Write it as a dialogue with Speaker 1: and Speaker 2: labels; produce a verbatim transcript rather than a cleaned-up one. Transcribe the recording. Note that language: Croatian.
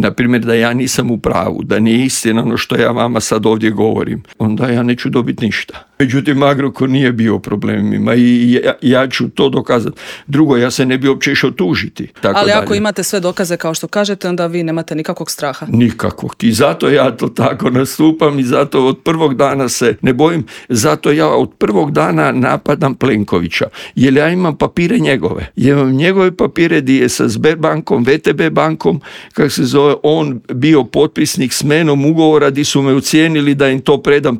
Speaker 1: na primjer da ja nisam u pravu, da nije istina ono što ja vama sad ovdje govorim, onda ja neću dobiti ništa. Međutim, Agrokor nije bio u problemima i ja, ja ću to dokazati. Drugo, ja se ne bi uopće išao tužiti. Tako
Speaker 2: Ali
Speaker 1: dalje.
Speaker 2: Ako imate sve dokaze kao što kažete, onda vi nemate nikakvog straha.
Speaker 1: Nikakvog. I zato ja to tako nastupam i zato od prvog dana se ne bojim. Zato ja od prvog dana napadam Plenkovića. Jer ja imam papire njegove. Ja imam njegove papire gdje je sa Sberbankom, V T B bankom, kako se zove, on bio potpisnik s menom ugovora gdje su me ucijenili da im to predam